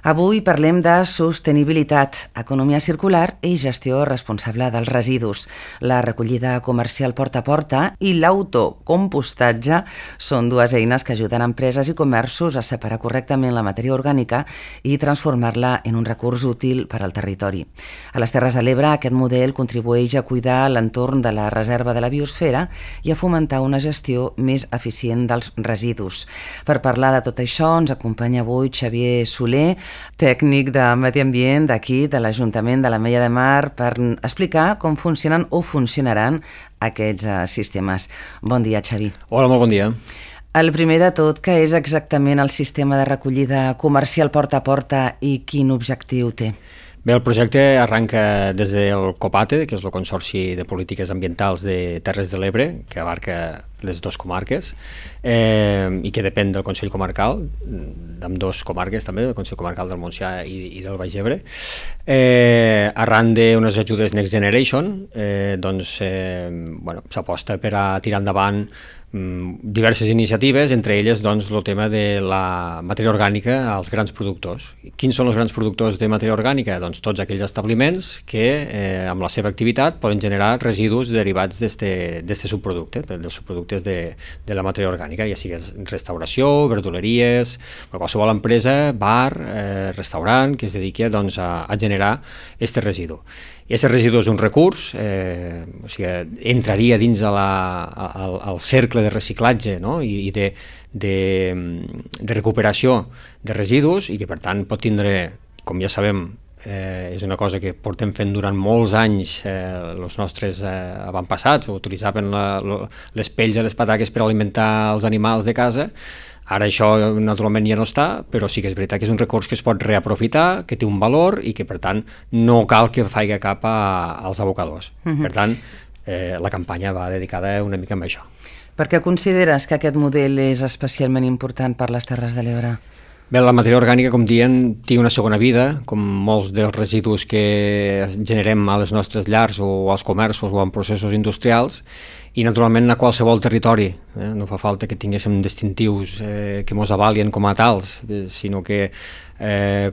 Avui parlem de sostenibilitat, economia circular i gestió responsable dels residus. La recollida comercial porta a porta i l'autocompostatge són dues eines que ajuden empreses i comerços a separar correctament la matèria orgànica i transformar-la en un recurs útil per al territori. A les Terres de l'Ebre, aquest model contribueix a cuidar l'entorn de la reserva de la biosfera i a fomentar una gestió més eficient dels residus. Per parlar de tot això ens acompanya avui Xavier Soler, tècnic de Medi Ambient d'aquí, de l'Ajuntament de l'Ametlla de Mar, per explicar com funcionen o funcionaran aquests sistemes. Bon dia, Xavi. Hola, molt bon dia. El primer de tot, què és exactament el sistema de recollida comercial porta a porta i quin objectiu té? Bé, el projecte arranca des del COPATE, que és el Consorci de Polítiques Ambientals de Terres de l'Ebre, que abarca les dues comarques, i que depèn del Consell Comarcal, d'ambdós comarques també, del Consell Comarcal del Montsià i del Baix Ebre. Arran d'unes ajudes Next Generation, s'aposta per a tirar endavant diverses iniciatives, entre elles doncs, el tema de la matèria orgànica als grans productors. Quins són els grans productors de matèria orgànica? Doncs tots aquells establiments que amb la seva activitat poden generar residus derivats d'este subproducte, dels subproductes de la matèria orgànica, ja sigui restauració, verduleries, qualsevol empresa, bar, restaurant, que es dediqui doncs, a generar este residu. I aquest residu és un recurs, o sigui, entraria dins al cercle de reciclatge, no? I de recuperació de residus i que per tant pot tindre, com ja sabem, és una cosa que portem fent durant molts anys els nostres avantpassats, utilitzaven les pells de les pataques per alimentar els animals de casa. Ara això naturalment ja no està, però sí que és veritat que és un recurs que es pot reaprofitar, que té un valor i que per tant no cal que faci cap als abocadors. Per tant, la campanya va dedicada una mica a això. Per què consideres que aquest model és especialment important per les Terres de l'Ebre? Bé, la matèria orgànica, com diem, té una segona vida, com molts dels residus que generem a les nostres llars o als comerços o en processos industrials, i naturalment a qualsevol territori. No fa falta que tinguéssim distintius que ens avalien com a tals, sinó que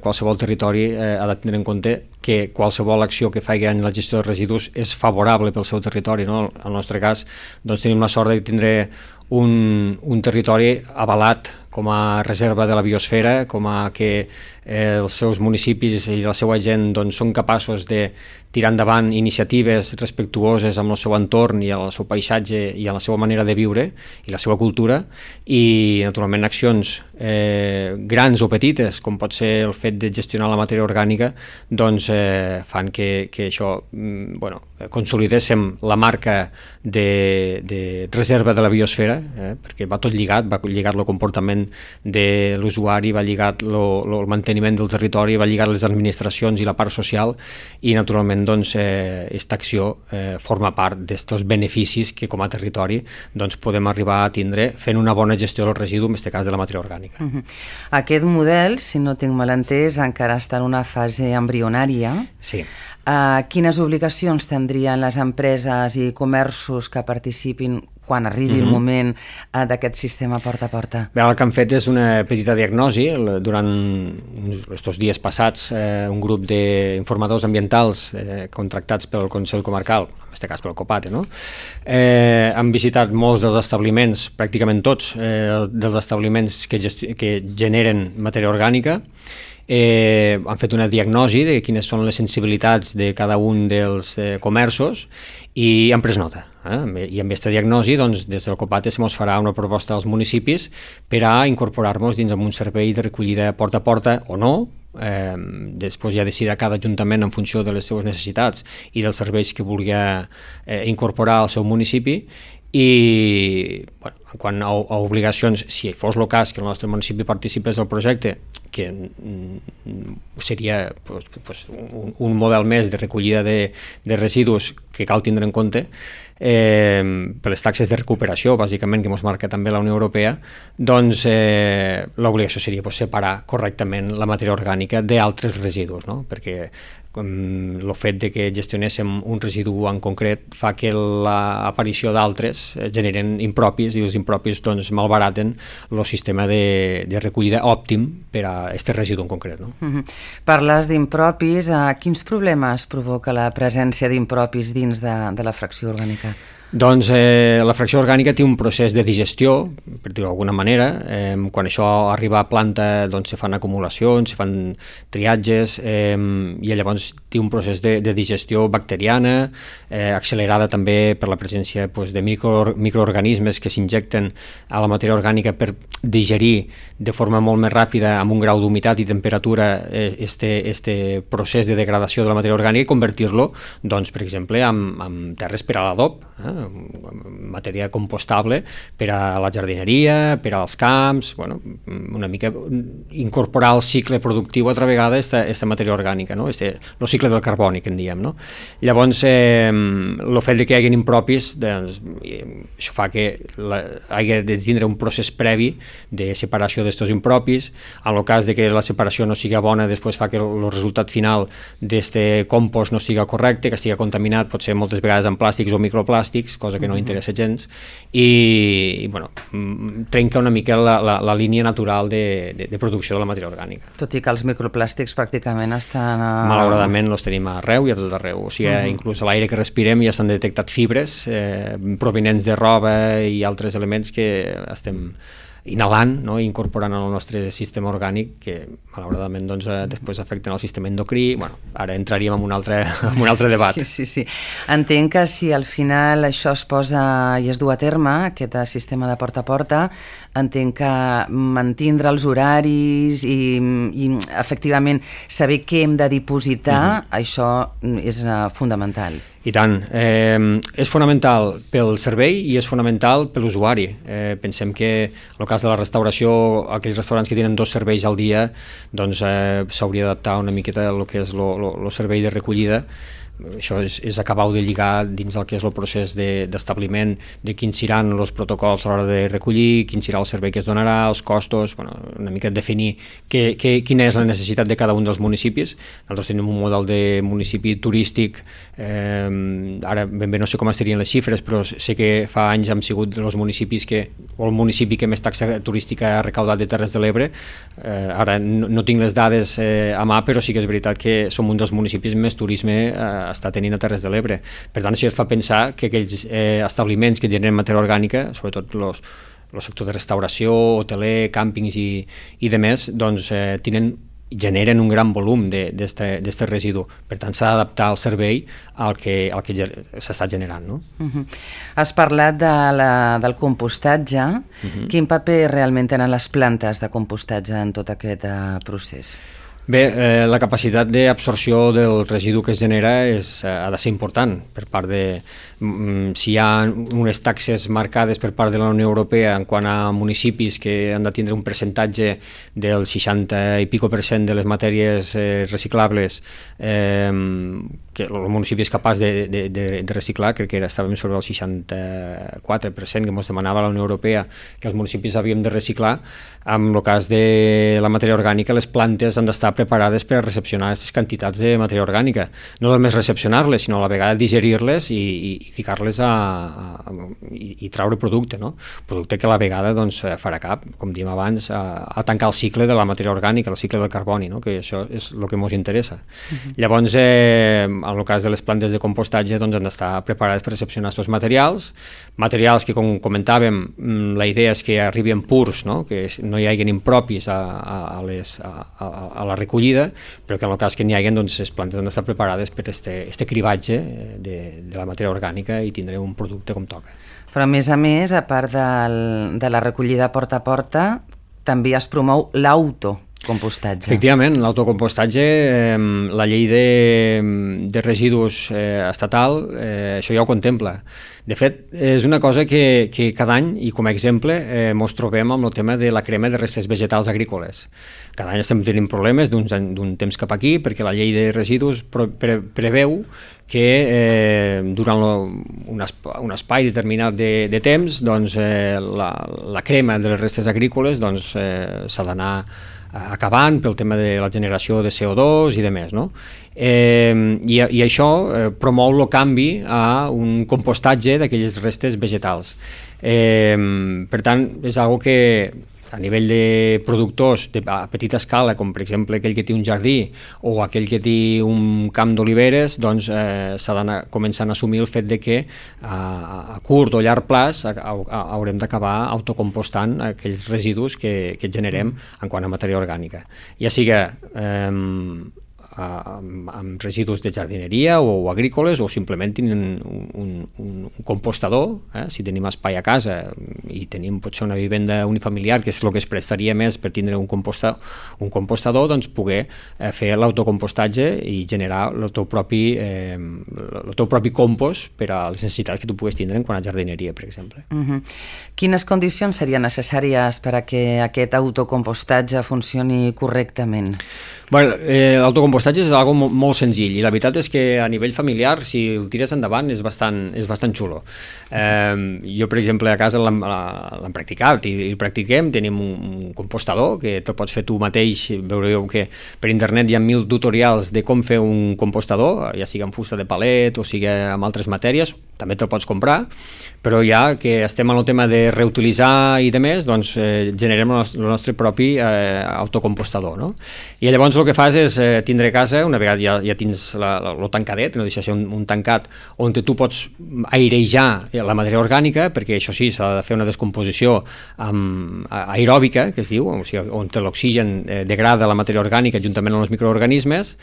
qualsevol territori ha de tenir en compte que qualsevol acció que faci en la gestió de residus és favorable pel seu territori. No? En el nostre cas, doncs, tenim la sort de tindre un territori avalat com a reserva de la biosfera, com a que els seus municipis i la seva gent doncs, són capaços de tirar endavant iniciatives respectuoses amb el seu entorn i el seu paisatge i a la seva manera de viure i la seva cultura, i naturalment accions grans o petites, com pot ser el fet de gestionar la matèria orgànica, doncs fan que això, consolidéssim la marca de reserva de la biosfera, perquè va tot lligat, va lligat el comportament de l'usuari, va lligat el manteniment del territori, va lligat les administracions i la part social, i naturalment doncs, aquesta acció forma part d'estos beneficis que com a territori doncs, podem arribar a tindre fent una bona gestió del residu, en aquest cas de la matèria orgànica. Aquest model, si no tinc mal entès, encara està en una fase embrionària. Sí. Quines obligacions tindrien les empreses i comerços que participin quan arribi el moment d'aquest sistema porta a porta? Bé, el que han fet és una petita diagnosi. Durant aquests dies passats, un grup d'informadors ambientals contractats pel Consell Comarcal, en aquest cas pel COPATE, han visitat molts dels establiments, pràcticament tots dels establiments que generen matèria orgànica. Han fet una diagnosi de quines són les sensibilitats de cada un dels comerços i han pres nota. I amb aquesta diagnosi, doncs, des del COPATE se mos farà una proposta als municipis per a incorporar-nos dins un servei de recollida porta a porta o no. Després ja decidirà cada ajuntament en funció de les seves necessitats i dels serveis que vulgui incorporar al seu municipi. I quant a obligacions, si fos el cas que el nostre municipi participés del projecte, que seria un model més de recollida de residus que cal tindre en compte, per les taxes de recuperació, bàsicament, que ens marca també la Unió Europea, doncs l'obligació seria separar correctament la matèria orgànica d'altres residus, no? Perquè el fet de que gestionéssim un residu en concret fa que l'aparició d'altres generen impropis, i els impropis doncs, malbaraten el sistema de recollida òptim per a aquest residu en concret. No? Parles d'impropis. Quins problemes provoca la presència d'impropis dins de la fracció orgànica? Doncs la fracció orgànica té un procés de digestió, per dir-ho d'alguna manera. Quan això arriba a planta doncs, se fan acumulacions, se fan triatges, i llavors té un procés de digestió bacteriana, accelerada també per la presència de microorganismes que s'injecten a la matèria orgànica per digerir de forma molt més ràpida, amb un grau d'humitat i temperatura, este procés de degradació de la matèria orgànica, i convertir-lo, doncs, per exemple, en terres per a l'adob, matèria compostable per a la jardineria, per als camps, una mica incorporar al cicle productiu altra vegada aquesta matèria orgànica, no? El cicle del carboni, que en diem. No? Llavors, el fet de que hi hagi impropis, doncs, això fa que hagi de tindre un procés previ de separació d'estos impropis. En el cas de que la separació no sigui bona, després fa que el resultat final d'este compost no sigui correcte, que estigui contaminat, pot ser moltes vegades amb plàstics o microplàstics, cosa que no interessa gens, i trenca una mica la línia natural de producció de la matèria orgànica. Tot i que els microplàstics pràcticament estan... Malauradament els tenim arreu i a tot arreu. O sigui, inclús a l'aire que respirem ja s'han detectat fibres provinents de roba i altres elements que estem inhalant, no? I incorporant al nostre sistema orgànic, que malauradament doncs, després afecten el sistema endocrí. Ara entraríem en un altre debat. Sí. Entenc que si al final això es posa i es du a terme, aquest sistema de porta a porta, entenc que mantindre els horaris i efectivament saber què hem de dipositar, això és fundamental. I tant. És fonamental pel servei i és fonamental per l'usuari. Pensem que en el cas de la restauració, aquells restaurants que tenen 2 serveis al dia, doncs s'hauria d'adaptar una miqueta al que és el servei de recollida. Això és acabar de lligar dins del que és el procés d'establiment de quins seran els protocols a l'hora de recollir, quin serà el servei que es donarà, els costos, una mica definir quina és la necessitat de cada un dels municipis. Nosaltres tenim un model de municipi turístic, ara ben bé no sé com estarien les xifres, però sé que fa anys hem sigut els municipis o el municipi que més taxa turística ha recaudat de Terres de l'Ebre. Ara no tinc les dades a mà, però sí que és veritat que som un dels municipis més turisme està tenint a Terres de l'Ebre. Per tant, això et fa pensar que aquells establiments que generen matèria orgànica, sobretot el sector de restauració, hoteler, càmpings i demés, doncs generen un gran volum d'aquest residu. Per tant, s'ha d'adaptar el servei al que s'està generant. No? Has parlat del compostatge. Quin paper realment tenen les plantes de compostatge en tot aquest procés? Bé, la capacitat d'absorció del residu que es genera ha de ser important per part de... Si hi ha unes taxes marcades per part de la Unió Europea en quant a municipis que han de tindre un percentatge del 60 i pico % de les matèries reciclables, que el municipi és capaç de reciclar, crec que estàvem sobre el 64% que ens demanava la Unió Europea que els municipis havíem de reciclar. En el cas de la matèria orgànica, les plantes han d'estar preparades per a recepcionar aquestes quantitats de matèria orgànica. No només recepcionar-les, sinó a la vegada digerir-les i ficar-les i traure producte, no? Producte que a la vegada doncs, farà cap, com diem abans, a tancar el cicle de la matèria orgànica, el cicle del carboni, no? Que això és el que ens interessa. Llavors, en el cas de les plantes de compostatge, doncs, han d'estar preparades per recepcionar aquests materials que, com comentàvem, la idea és que arribin purs, no? Que no hi hagi impropis a la recollida, però que en el cas que n'hi hagi, doncs, les plantes han d'estar preparades per este cribatge de la matèria orgànica i tindré un producte com toca. Però a més, a part de la recollida porta a porta, també es promou l'autocompostatge. Efectivament, l'autocompostatge, la llei de residus estatal, això ja ho contempla. De fet, és una cosa que cada any, i com a exemple, ens trobem amb el tema de la crema de restes vegetals agrícoles. Cada any estem tenint problemes d'un temps cap aquí, perquè la llei de residus preveu que durant un espai determinat de temps, doncs, la crema de les restes agrícoles doncs, s'ha d'anar acabant pel tema de la generació de CO2 i de més, no? I això promou el canvi a un compostatge d'aquelles restes vegetals. Per tant, és algo que a nivell de productors a petita escala, com per exemple aquell que té un jardí o aquell que té un camp d'oliveres, doncs s'ha d'anar començant a assumir el fet de que a curt o llarg plaç haurem d'acabar autocompostant aquells residus que generem en quant a matèria orgànica. Ja sigui amb residus de jardineria o agrícoles, o simplement tenen un compostador, si tenim espai a casa i tenim potser una vivenda unifamiliar, que és el que es prestaria més per tindre un compostador, doncs poder fer l'autocompostatge i generar el teu propi compost per a les necessitats que tu puguis tindre en quant a jardineria, per exemple. Quines condicions serien necessàries per a que aquest autocompostatge funcioni correctament? L'autocompostatge és algo molt senzill i la veritat és que a nivell familiar, si el tires endavant, és bastant xulo. Jo, per exemple, a casa l'hem practicat i el practiquem. Tenim un compostador que te'l pots fer tu mateix. Veureu que per internet hi ha 1000 tutorials de com fer un compostador, ja sigui amb fusta de palet o sigui amb altres matèries, també te'l pots comprar, però ja que estem en el tema de reutilitzar i de més, doncs generem el nostre propi autocompostador, no? I llavors el que fas és tindre a casa, una vegada ja tens el tancadet, no deixa de ser un tancat on tu pots airejar la matèria orgànica, perquè això sí, s'ha de fer una descomposició aeròbica, que es diu, o sigui, on l'oxigen degrada la matèria orgànica juntament amb els microorganismes.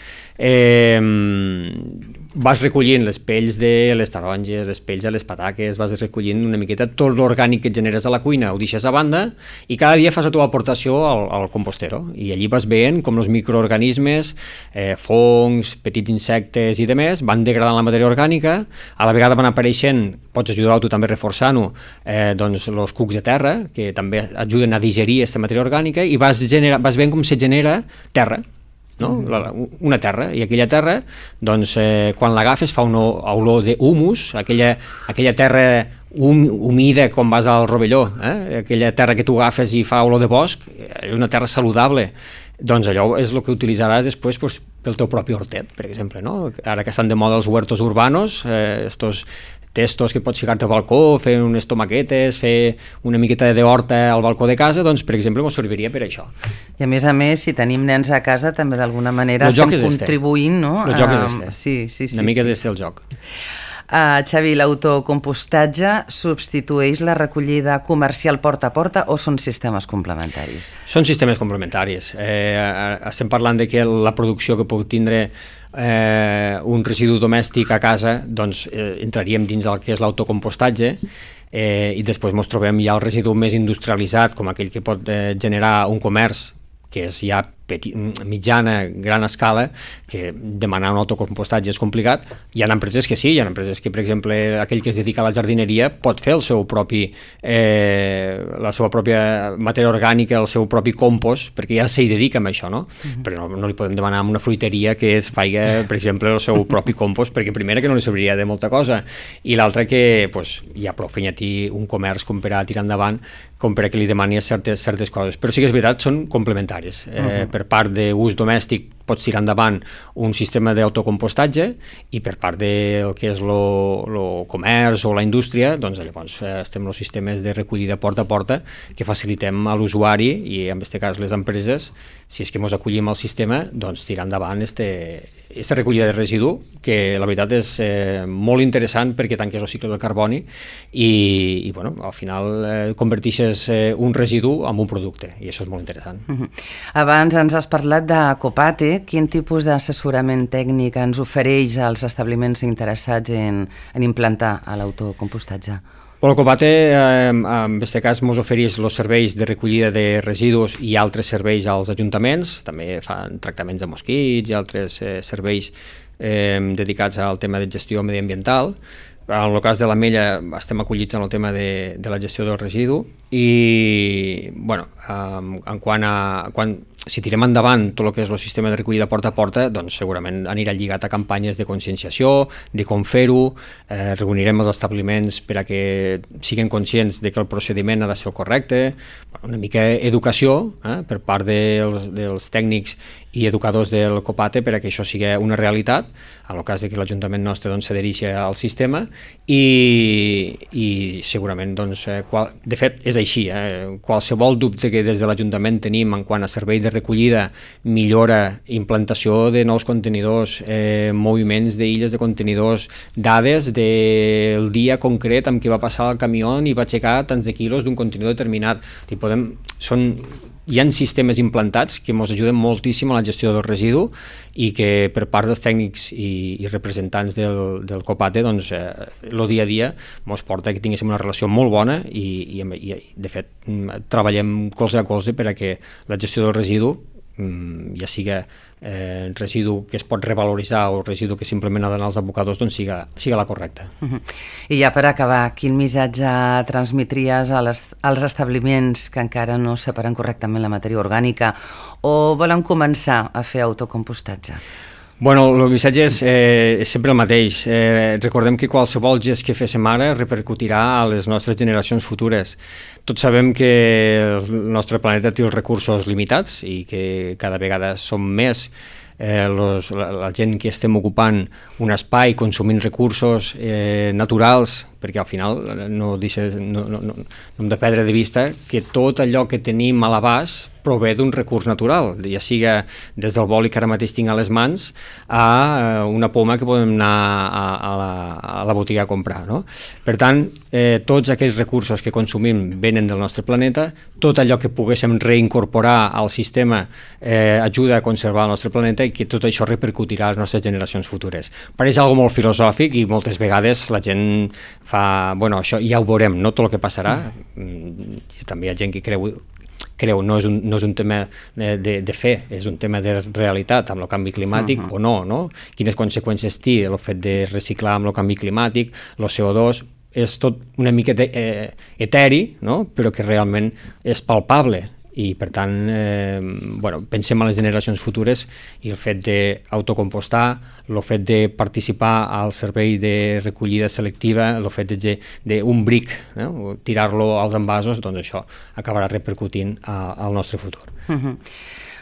Vas recollint les pells de les taronges, les pells de les pataques, vas recollint una miqueta tot l'orgànic que et generes a la cuina, ho deixes a banda i cada dia fas la teva aportació al compostero, i allí vas veient com els microorganismes, fongs, petits insectes i demés van degradant la matèria orgànica. A la vegada van apareixent, pots ajudar tu també reforçant-ho, doncs els cucs de terra, que també ajuden a digerir aquesta matèria orgànica, i vas veient com se genera terra, no? Una terra, i aquella terra, doncs, quan l'agafes fa una olor d'humus, aquella terra humida com vas al rovelló, aquella terra que tu agafes i fa olor de bosc, és una terra saludable. Doncs allò és el que utilitzaràs després pel teu propi hortet, per exemple, no? Ara que estan de moda els huertos urbanos, estos testos que pots ficar-te al balcó, fer unes tomaquetes, fer una miqueta d'horta al balcó de casa, doncs, per exemple, ens serviria per això. I a més, si tenim nens a casa, també d'alguna manera estem contribuint, no? El joc és este. Sí. Una mica és este el joc. Xavi, l'autocompostatge substitueix la recollida comercial porta a porta o són sistemes complementaris? Són sistemes complementaris. Estem parlant de que la producció que pot tindre un residu domèstic a casa, doncs entraríem dins del que és l'autocompostatge, i després ens trobem ja el residu més industrialitzat, com aquell que pot generar un comerç que és ja mitjana, gran escala, que demanar un autocompostatge és complicat. Hi ha empreses que sí, hi ha empreses que, per exemple, aquell que es dedica a la jardineria pot fer la seva pròpia matèria orgànica, el seu propi compost, perquè ja s'hi dedica amb això, no? Però no li podem demanar a una fruiteria que es faci, per exemple, el seu propi compost, perquè primera que no li serviria de molta cosa, i l'altra que hi ha prou feina un comerç com per a tirar endavant, com per a que li demani certes coses. Però sí que és veritat, són complementaris. Per part d'ús domèstic pots tirar endavant un sistema d'autocompostatge, i per part del que és el comerç o la indústria, doncs llavors estem els sistemes de recollida porta a porta que facilitem a l'usuari, i en aquest cas les empreses, si és que ens acollim al sistema, doncs tirar endavant aquesta recollida de residu, que la veritat és molt interessant perquè tanques el cicle del carboni i bueno, al final converteixes un residu en un producte, i això és molt interessant. Abans ens has parlat de Copate. Quin tipus d'assessorament tècnic ens ofereix als establiments interessats en implantar l'autocompostatge? El Copate, en aquest cas, ens ofereix els serveis de recollida de residus i altres serveis als ajuntaments. També fan tractaments de mosquits i altres serveis dedicats al tema de gestió mediambiental. En el cas de l'Ametlla estem acollits en el tema de la gestió del residu i, bueno, si tirem endavant tot el que és el sistema de recollida porta a porta, doncs segurament anirà lligat a campanyes de conscienciació, de com fer-ho, reunirem els establiments per a que siguin conscients de que el procediment ha de ser el correcte, una mica educació per part dels tècnics i educadors del COPATE per a que això sigui una realitat, en el cas que l'Ajuntament nostre s'adhereixi al sistema i segurament, de fet, és així, qualsevol dubte que des de l'Ajuntament tenim en quant a servei de recollida, millora, implantació de nous contenidors, moviments d'illes de contenidors, dades del dia concret amb què va passar el camió i va aixecar tants de quilos d'un contenidor determinat. Hi ha sistemes implantats que ens ajuden moltíssim a la gestió del residu i que per part dels tècnics i representants del COPATE el dia a dia ens porta que tinguéssim una relació molt bona i de fet treballem colze a colze per a que la gestió del residu, ja sigui residu que es pot revaloritzar o residu que simplement ha d'anar als abocadors, siga la correcta. I ja per acabar, quin missatge transmetries als establiments que encara no separen correctament la matèria orgànica o volen començar a fer autocompostatge? Bueno, el missatge és sempre el mateix. Recordem que qualsevol gest que féssim ara repercutirà a les nostres generacions futures. Tots sabem que el nostre planeta té els recursos limitats i que cada vegada som més la gent que estem ocupant un espai consumint recursos naturals, perquè al final no hem de perdre de vista que tot allò que tenim a l'abast prové d'un recurs natural, ja siga des del boli que ara mateix tinc a les mans a una poma que podem anar a la botiga a comprar, no? Per tant, tots aquells recursos que consumim venen del nostre planeta, tot allò que poguéssim reincorporar al sistema ajuda a conservar el nostre planeta i que tot això repercutirà a les nostres generacions futures. Pareix algo molt filosòfic i moltes vegades la gent fa, bueno, això ja ho veurem, no tot el que passarà. També hi ha gent que creu, no és un tema de fe, és un tema de realitat amb el canvi climàtic o no? Quines conseqüències té el fet de reciclar amb el canvi climàtic, el CO2, és tot una mica eteri, no? Però que realment és palpable. I per tant, pensem en les generacions futures i el fet d'autocompostar, el fet de participar al servei de recollida selectiva, el fet d'un bric, tirar-lo als envasos, doncs això acabarà repercutint al nostre futur.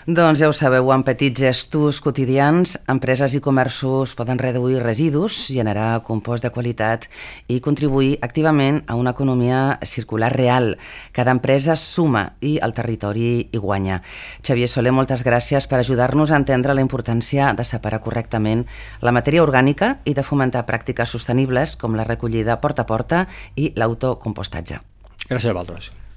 Doncs ja ho sabeu, amb petits gestos quotidians, empreses i comerços poden reduir residus, generar compost de qualitat i contribuir activament a una economia circular real. Cada empresa suma i el territori hi guanya. Xavier Soler, moltes gràcies per ajudar-nos a entendre la importància de separar correctament la matèria orgànica i de fomentar pràctiques sostenibles com la recollida porta a porta i l'autocompostatge. Gràcies a vosaltres.